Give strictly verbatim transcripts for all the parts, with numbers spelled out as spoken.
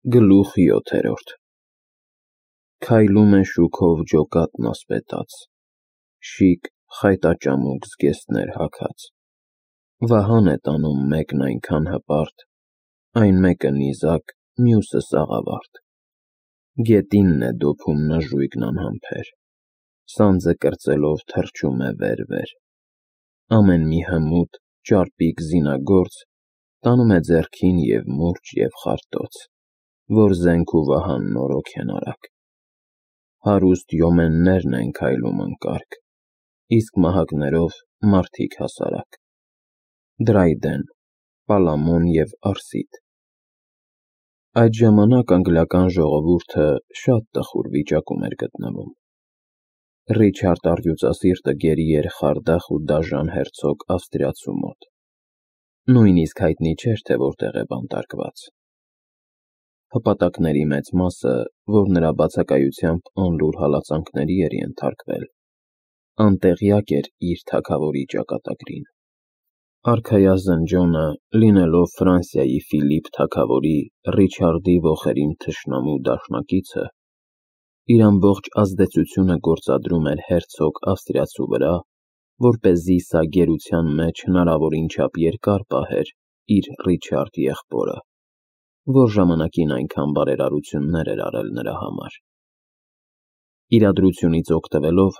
Գլուխ յոթերորդ Քայլում է շուքով ջոկատն ասպետաց, շիկ խայտաճամուկ զգեստներ հագած, վահան է տանում մեկն այնքան հպարտ, այն մեկը նիզակ, մյուսը սաղավարտ, գետինն է դոփում նժույգն անհամբեր, սանձը կրծելով թռչում է վեր-վեր, ամեն մի հմուտ, ճարպիկ զինագործ տանում է ձեռքին և մուրճ և խարտոց, որ զենք ու վահան նորոգ են արագ, հարուստ յոմեններն են քայլում ընկարգ, իսկ մահակներով մարդիկ հասարակ, Դրայդեն, Պալամոն և Արսիդ։ Այդ ժամանակ անգլիական ժողովուրդը շատ տխուր վիճակում էր գտնվում։ Ռիչարդ առյուծասիրտը գերի էր խարդախ ու դաժան հերցոգ ավստրիացու մոտ, նույնիսկ հայտնի չէր, թե որտեղ է բանտարկված։ Հպատակների մեծ մասը, որ նրա բացակայությամբ անլուր հալածանքների էր ենթարկվել, անտեղյակ էր իր թագավորի ճակատագրին։ Արքայազն Ջոնը, լինելով Ֆրանսիայի Ֆիլիպ թագավորի Ռիչարդի ոխերիմ թշնամու դաշնակիցը, իր ամբողջ ազդեցությունը գործադրում էր հերցոգ ավստրիացու վրա, որպեսզի սա գերության մեջ հնարավորին չափ երկար պահեր իր Ռիչարդ եղբորը, որ ժամանակին այնքան բարերարություններ էր արել նրա համար։ Իրադրությունից օգտվելով,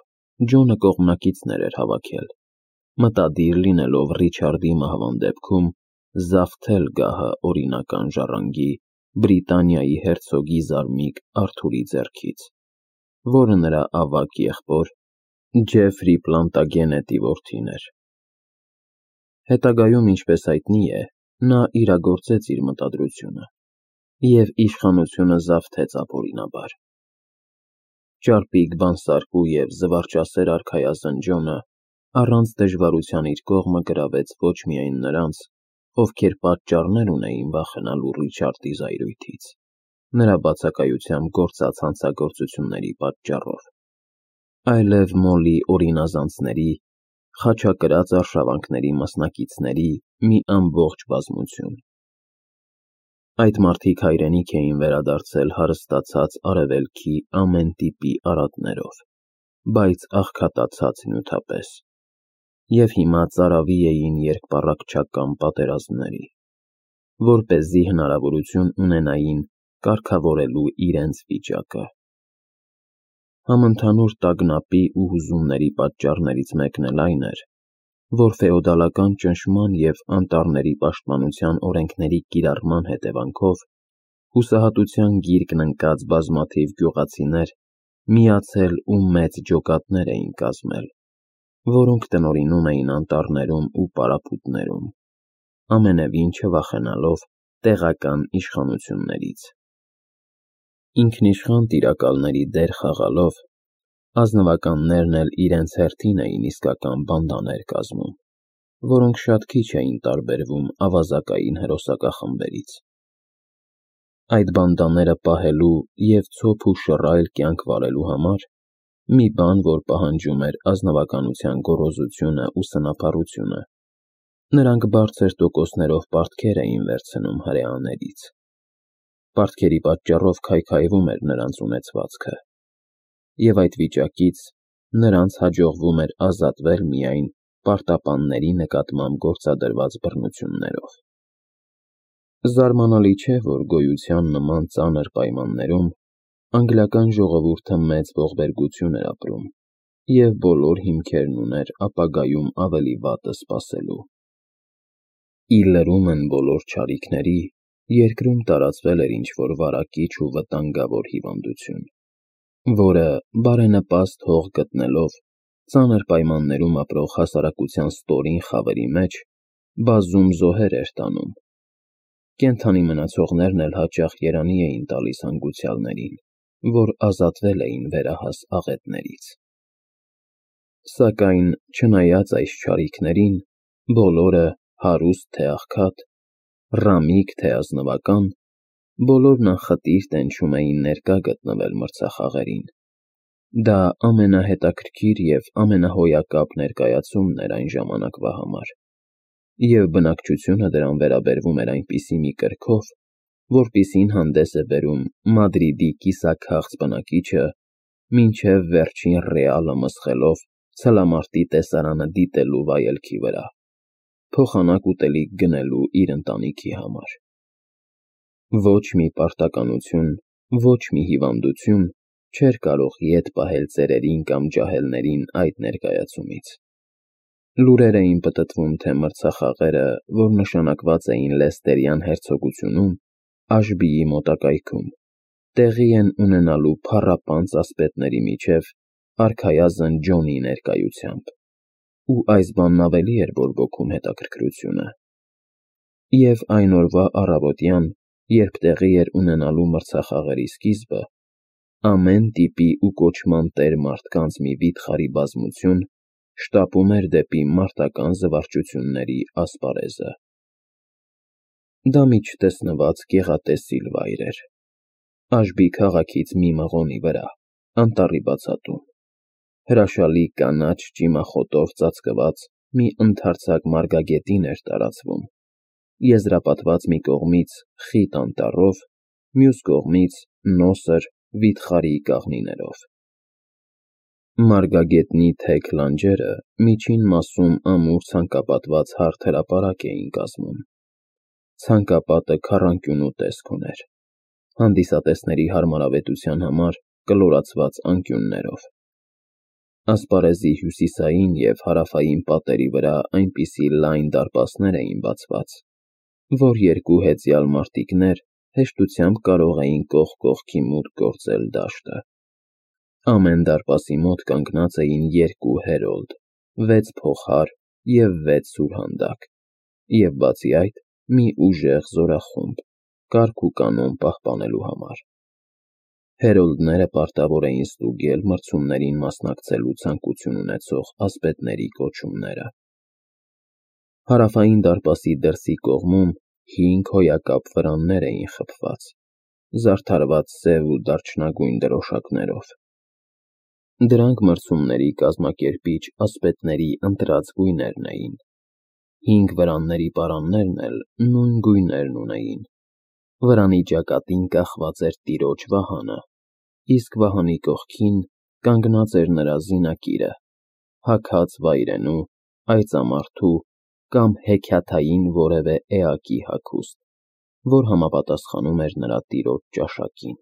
Ջոնը կողմնակիցներ էր հավաքել, մտադիր լինելով Ռիչարդի մահվան դեպքում զավթել գահը օրինական ժառանգի Բրիտանիայի հերցոգի զարմիկ Արթուրի ձեռքից, որը նրա ավագ եղբոր Ջեֆրի Պլանտագենետի որդին էր։ Հետագայում, ինչպես հայտնի է, նա իրագործեց իր մտադրությունը և իշխանությունը զավթեց ապօրինաբար։ Ճարպիկ, բանսարկու և զվարճասեր արքայազն Ջոնը առանց դժվարության իր կողմը գրավեց ոչ միայն նրանց, ովքեր պատճառներ ունեին վախենալու Ռիչարդի զայրույթից, նրա բացակայությամբ գործած հանցագործությունների պատճառով, այլև Մոլի օրինազանցների, խաչակրաց արշավանքների մասնակիցների մի ամբողջ բազմություն։ Այդ մարդիկ հայրենիք էին վերադարձել հարստացած արևելքի ամեն տիպի արատներով, բայց աղքատացած նյութապես, և հիմա ծարավի էին երկպառակտչական պատերազմների, որպեսզի հնարավորություն ունենային կարգավորելու իրենց վիճակը։ Համընդհանուր տագնապի ու հուզումների պատճառներից մեկն էլ այն էր, որ ֆեոդալական ճնշման և անտառների պաշտպանության օրենքների կիրառման հետևանքով հուսահատության գիրկն ընկած բազմաթիվ գյուղացիներ միացել ու մեծ ջոկատներ էին կազմել, որոնք տնօրինում էին անտառներում ու պարապմունքներում, ամենևին չվախենալով տեղական իշխանություններից։ Ինքնիշխան տիրակալների դեր խաղալով, ազնվականներն էլ իրենց հերթին էին իսկական բանդաներ կազմում, որոնք շատ քիչ էին տարբերվում ավազակային հրոսակախմբերից։ Այդ բանդաները պահելու և ցոփ ու շռայլ կյանք վարելու համար մի բան, որ պահանջում էր ազնվականության գոռոզությունը ու սնափառությունը, նրանք բարձր տոկոսներով պարտքեր էին վերցնում հրեաներից։ Պարտքերի պատճառով քայքայվում էր նրանց ունեցվածքը, և այդ վիճակից նրանց հաջողվում էր ազատվել միայն պարտապանների նկատմամբ գործադրված բռնություններով։ Զարմանալի չէ, որ գոյության նման ծանր պայմաններում անգլիական ժողովուրդը մեծ ողբերգություն էր ապրում և բոլոր հիմքերն ուներ ապագայում ավելի վատը սպասելու։ Ի լրումն բոլոր չարիքների, երկրում տարածվել էր ինչ-որ վարակիչ ու վտանգավոր հիվանդություն, որը, բարենպաստ հող գտնելով, ծանր պայմաններում ապրող հասարակության ստորին խավերի մեջ բազում զոհեր էր տանում։ Կենդանի մնացողներն էլ հաճախ երանի էին տալիս հանգուցյալներին, որ ազատվել էին վերահաս աղետներից։ Սակայն, չնայած այս չարիքներին, բոլորը, հարուստ թե աղքատ, ռամիկ թե ազնվական, բոլորն անխտիր տենչում էին ներկա գտնվել մրցախաղերին։ Դա ամենահետաքրքիր և ամենահոյակապ ներկայացումն էր այն ժամանակվա համար, և բնակչությունը դրան վերաբերվում էր այնպիսի մի կրքով, որպիսին հանդես է բերում Մադրիդի կիսաքաղց բնակիչը, մինչև վերջին ռեալը մսխելով ցլամարտի տեսարանը դիտելու վայելքի վրա, փոխանակ ուտելիք գնելու իր ընտանիքի համար։ Ոչ մի պարտականություն, ոչ մի հիվանդություն չէր կարող ետ պահել ծերերին կամ ջահելներին այդ ներկայացումից։ Լուրեր էին պտտվում, թե մրցախաղերը, որ նշանակված էին Լեստերյան հերցոգությունում, Աշբիի մոտակայքում, տեղի են ունենալու փառապանծ ասպետների միջև արքայազն Ջոնի ներկայությամբ, ու այս բանն ավելի էր բորբոքում հետաքրքրությունը։ Եվ այն օրվա առավոտյան, երբ տեղի էր ունենալու մրցախաղերի սկիզբը, ամեն տիպի ու կոչման տեր մարդկանց մի վիթխարի բազմություն շտապում էր դեպի մարտական զվարճությունների ասպարեզը։ Դա մի չտեսնված գեղատեսիլ վայր էր, Աշբի քաղաքից մի մղոնի վրա, անտառի բացատում, հրաշալի կանաչ ճիմախոտով ծածկված մի ընդարձակ մարգագետին էր տարածվում, եզրապատված մի կողմից խիտ անտառով, մյուս կողմից նոսր վիթխարի կաղնիներով։ Մարգագետնի թեք լանջերը միջին մասում ամուր ցանկապատված հարթ հրապարակ էին կազմում։ Ցանկապատը քառանկյունու տեսք ուներ, հանդիսատեսների հարմարավետության համար կլորացված անկյուններով։ Ասպարեզի հյուսիսային և հարավային պատերի վրա այնպիսի լայն դարպասներ էին բացված, որ երկու հեծյալ մարտիկներ հեշտությամբ կարող էին կողք կողքի մուտք գործել դաշտը։ Ամեն դարպասի մոտ կանգնած էին երկու հերոլդ, վեց փողհար և վեց սուրհանդակ, և բացի այդ, մի ուժեղ զորախումբ, կարգ ու կանոն պահպանելու համար։ Հերոլդները պարտավոր էին ստուգել մրցումներին մասնակցելու ցանկություն ունեցող ասպետների կոչումները։ Հարավային դարպասի դրսի կողմում հինգ հոյակապ վրաններ էին խփված, զարդարված սև ու դարչնագույն դրոշակներով։ Դրանք մրցումների կազմակերպիչ ասպետների ընտրած գույներն էին։ Հինգ վրանների պարաններն էլ նույն գույներն ունեին։ Վրանի ճակատին կախված էր տիրոջ վահանը, իսկ վահանի կողքին կանգնած էր նրա զինակիրը, հագած վայրենու, այծամարդու կամ հեքիաթային որևէ էակի հագուստ, որ համապատասխանում էր նրա տիրոջ ճաշակին։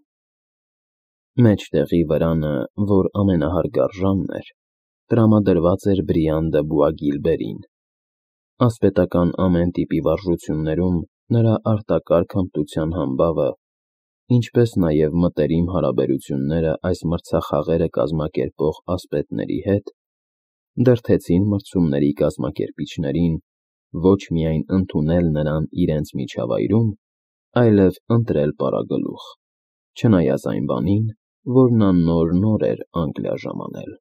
Մեջտեղի վրանը, որ ամենահարգարժանն էր, տրամադրված էր Բրիան դը Բուագիլբերին։ Ասպետական ամեն տիպի վարժություններում նրա արտակարգ հմտության համբավը, ինչպես նաև մտերիմ հարաբերությունները այս մրցախաղերը կազմակերպող ասպետների հետ, դրդեցին մրցումների կազմակերպիչներին ոչ միայն ընդունել նրան իրենց միջավայրում, այլև ընտրել պարագլուխ, չնայած այն բանին, որ նա նոր-նոր էր Անգլիա ժամանել։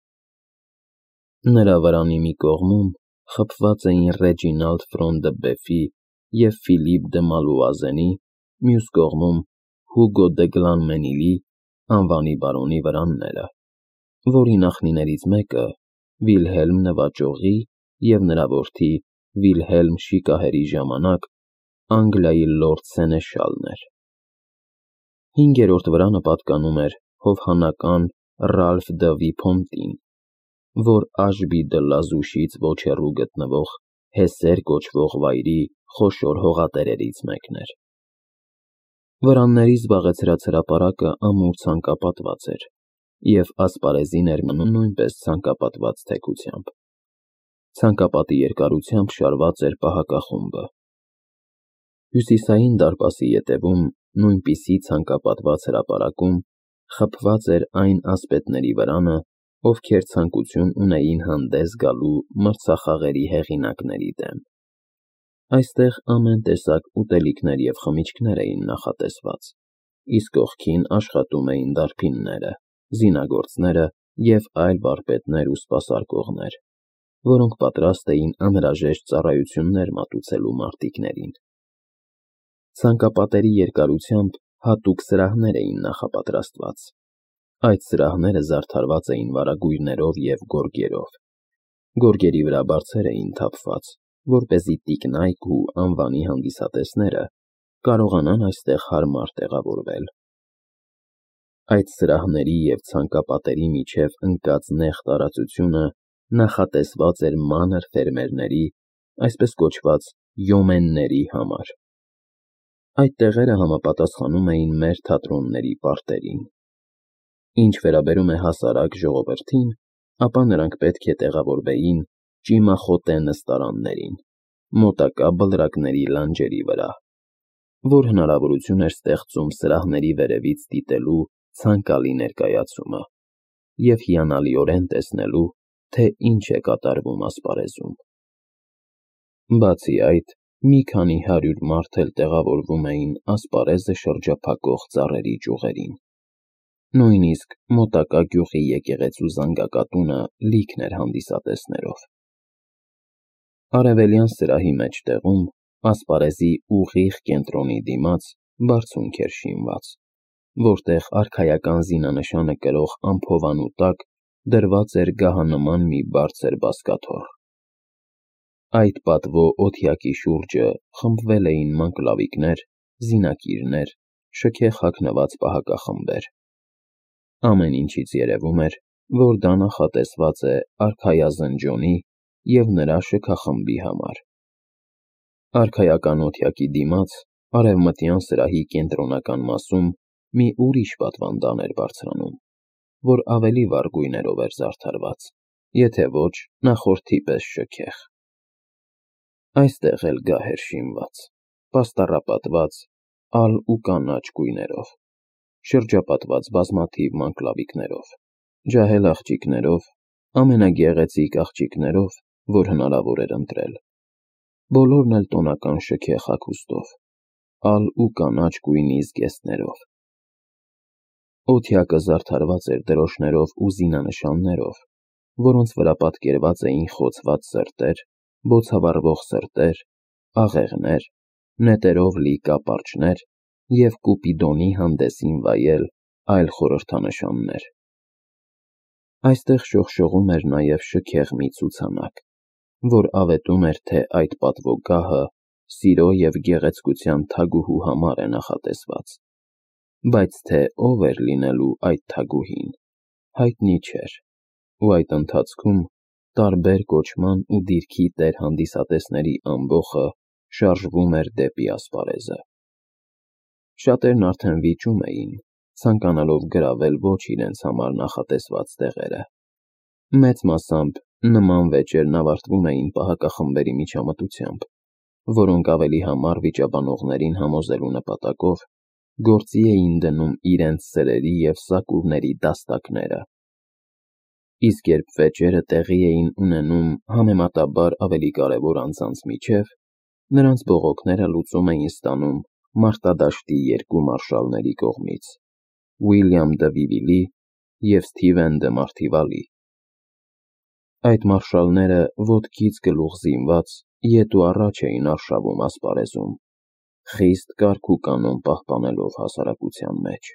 Նրա վրանի մի կողմում խփված էին Ռեջինալդ Ֆրոն դը Բեֆի և Ֆիլիպ դը Մալուազենի, մյուս կողմում Հուգո դը Գլանմենիլի անվանի բարոնի վրանները, որի նախնիներից մեկը Վիլհելմ Նվաճողի և նրա որդի Վիլհելմ Շիկահերի ժամանակ Անգլիայի լորդ սենեշալն էր։ Հինգերորդ վրանը պատկանում էր հովհանական Ռալֆ դը Վիփոնտին, որ Աշբի դը Լազուշից ոչ հեռու գտնվող Հեսեր կոչվող վայրի խոշոր հողատերերից մեկն էր։ Վրանների զբաղեցրած հրապարակը ամուր ցանկապատված էր, և ասպարեզին էր մնում նույնպես ցանկապատված թեքությամբ։ Ցանկապատի երկարությամբ շարված էր պահակախումբը։ Հյուսիսային դարպասի ետևում նույնպիսի ցանկապատված հրապարակում խփված էր այն ասպետների վրանը, ովքեր ցանկություն ունեին հանդես գալու մրցախաղերի հեղինակների դեմ։ Այստեղ ամեն տեսակ ուտելիքներ և խմիչքներ էին նախատեսված, իսկ կողքին աշխատում էին դարբինները, զինագործները և այլ վարպետներ ու սպասարկողներ, որոնք պատրաստ էին անհրաժեշտ ծառայություններ մատուցելու մարտիկներին։ Ցանկապատերի երկարությամբ հատուկ սրահներ էին նախապատրաստված։ Այդ սրահները զարդարված էին վարագույրներով և գորգերով։ Գորգերի վրա բարձեր էին թափված, որպեսզի տիկնայք ու անվանի հանդիսատեսները կարողանան այստեղ հարմար տեղավորվել։ Այդ սրահների և ցանկապատերի միջև ընկած նեղ տարածությունը նախատեսված էր մանր ֆերմերների, այսպես կոչված յոմենների համար։ Այդ տեղերը համապատասխանում էին մեր թատրոնների պարտերին։ Ինչ վերաբերում է հասարակ ժողովրդին, ապա նրանք պետք է տեղավորվեին ճիմախոտե նստարաններին, մոտակա բլրակների լանջերի վրա, որ հնարավորություն էր ստեղծում սրահների վերևից դիտելու ցանկալի ներկայացումը և հիանալիորեն տեսնելու, թե ինչ է կատարվում ասպարեզում։ Բացի այդ, մի քանի հարյուր մարդ էլ տեղավորվում էին ասպարեզը շրջափակող ծառերի ճյուղերին։ Նույնիսկ մոտակա գյուղի եկեղեցու զանգակատունը լիքն էր հանդիսատեսներով։ Արևելյան սրահի մեջտեղում, ասպարեզի ուղիղ կենտրոնի դիմաց, բարձունք էր շինված, որտեղ արքայական զինանշանը կրող ամփովանու տակ դրված էր գահանման մի բարձր բազկաթոռ։ Այդ պատվո օթյակի շուրջը խմբվել էին մանկլավիկներ, զինակիրներ, շքեղ հագնված պահակախմբեր։ Ամեն ինչից երևում էր, որ դա նախատեսված է արքայազնջոնի և նրա շքախմբի համար։ Արքայական օթյակի դիմաց, արևմտյան սրահի կենտրոնական մասում մի ուրիշ պատվանդան էր բարձրանում, որ ավելի վառ գույներով էր զարդարված, եթե ոչ նախորդի պես շքեղ։ Այստեղ էլ գահ էր շինված, պաստառապատված ալ ու կանաչ գույներով, շրջապատված բազմաթիվ մանկլավիկներով, ջահել աղջիկներով, ամենագեղեցիկ աղջիկներով, որ հնարավոր էր ընտրել, բոլորն էլ տոնական շքեղ հագուստով, ալ ու կանաչ գույնի զգեստներով։ Օթյակը զարդարված էր դրոշներով ու զինանշաններով, որոնց վրա պատկերված էին խոցված սրտեր, բոցավառվող սրտեր, աղեղներ, նետերով լի կապարճներ և Կուպիդոնի հանդեսին վայել այլ խորհրդանշաններ։ Այստեղ շողշողում էր նաև շքեղ մի ցուցանակ, որ ավետում էր, թե այդ պատվոգահը սիրո և գեղեցկության թագուհու համար է նախատեսված, բայց թե ով էր լինելու այդ թագուհին, հայտնի չէր, ու այդ ընթացքում տարբեր կոչման ու դիրքի տեր հանդիսատեսների ամբոխը շարժվում էր դեպի ասպարեզը։ Շատերն արդեն վիճում էին, ցանկանալով գրավել ոչ իրենց համար նախատեսված տեղերը։ Մեծ մասամբ նման վեճերն ավարտվում էին պահակախմբերի միջամտությամբ, որոնք ավելի համառ վիճաբանողներին համոզելու նպատակով գործի էին դնում իրենց սրերի և սակուրների դաստակները։ Իսկ երբ վեճերը տեղի էին ունենում համեմատաբար ավելի կարևոր անձանց միջև, նրանց բողոքները լուծում էին ստանում մարտադաշտի երկու մարշալների կողմից՝ Ուիլյամ դը Վիվիլի և Սթիվեն դը Մարտիվալի։ Այդ մարշալները ոտքից գլուխ զինված ետ ու առաջ էին արշավում ասպարեզում, խիստ կարգ ու կանոն պահպանելով հասարակության մեջ։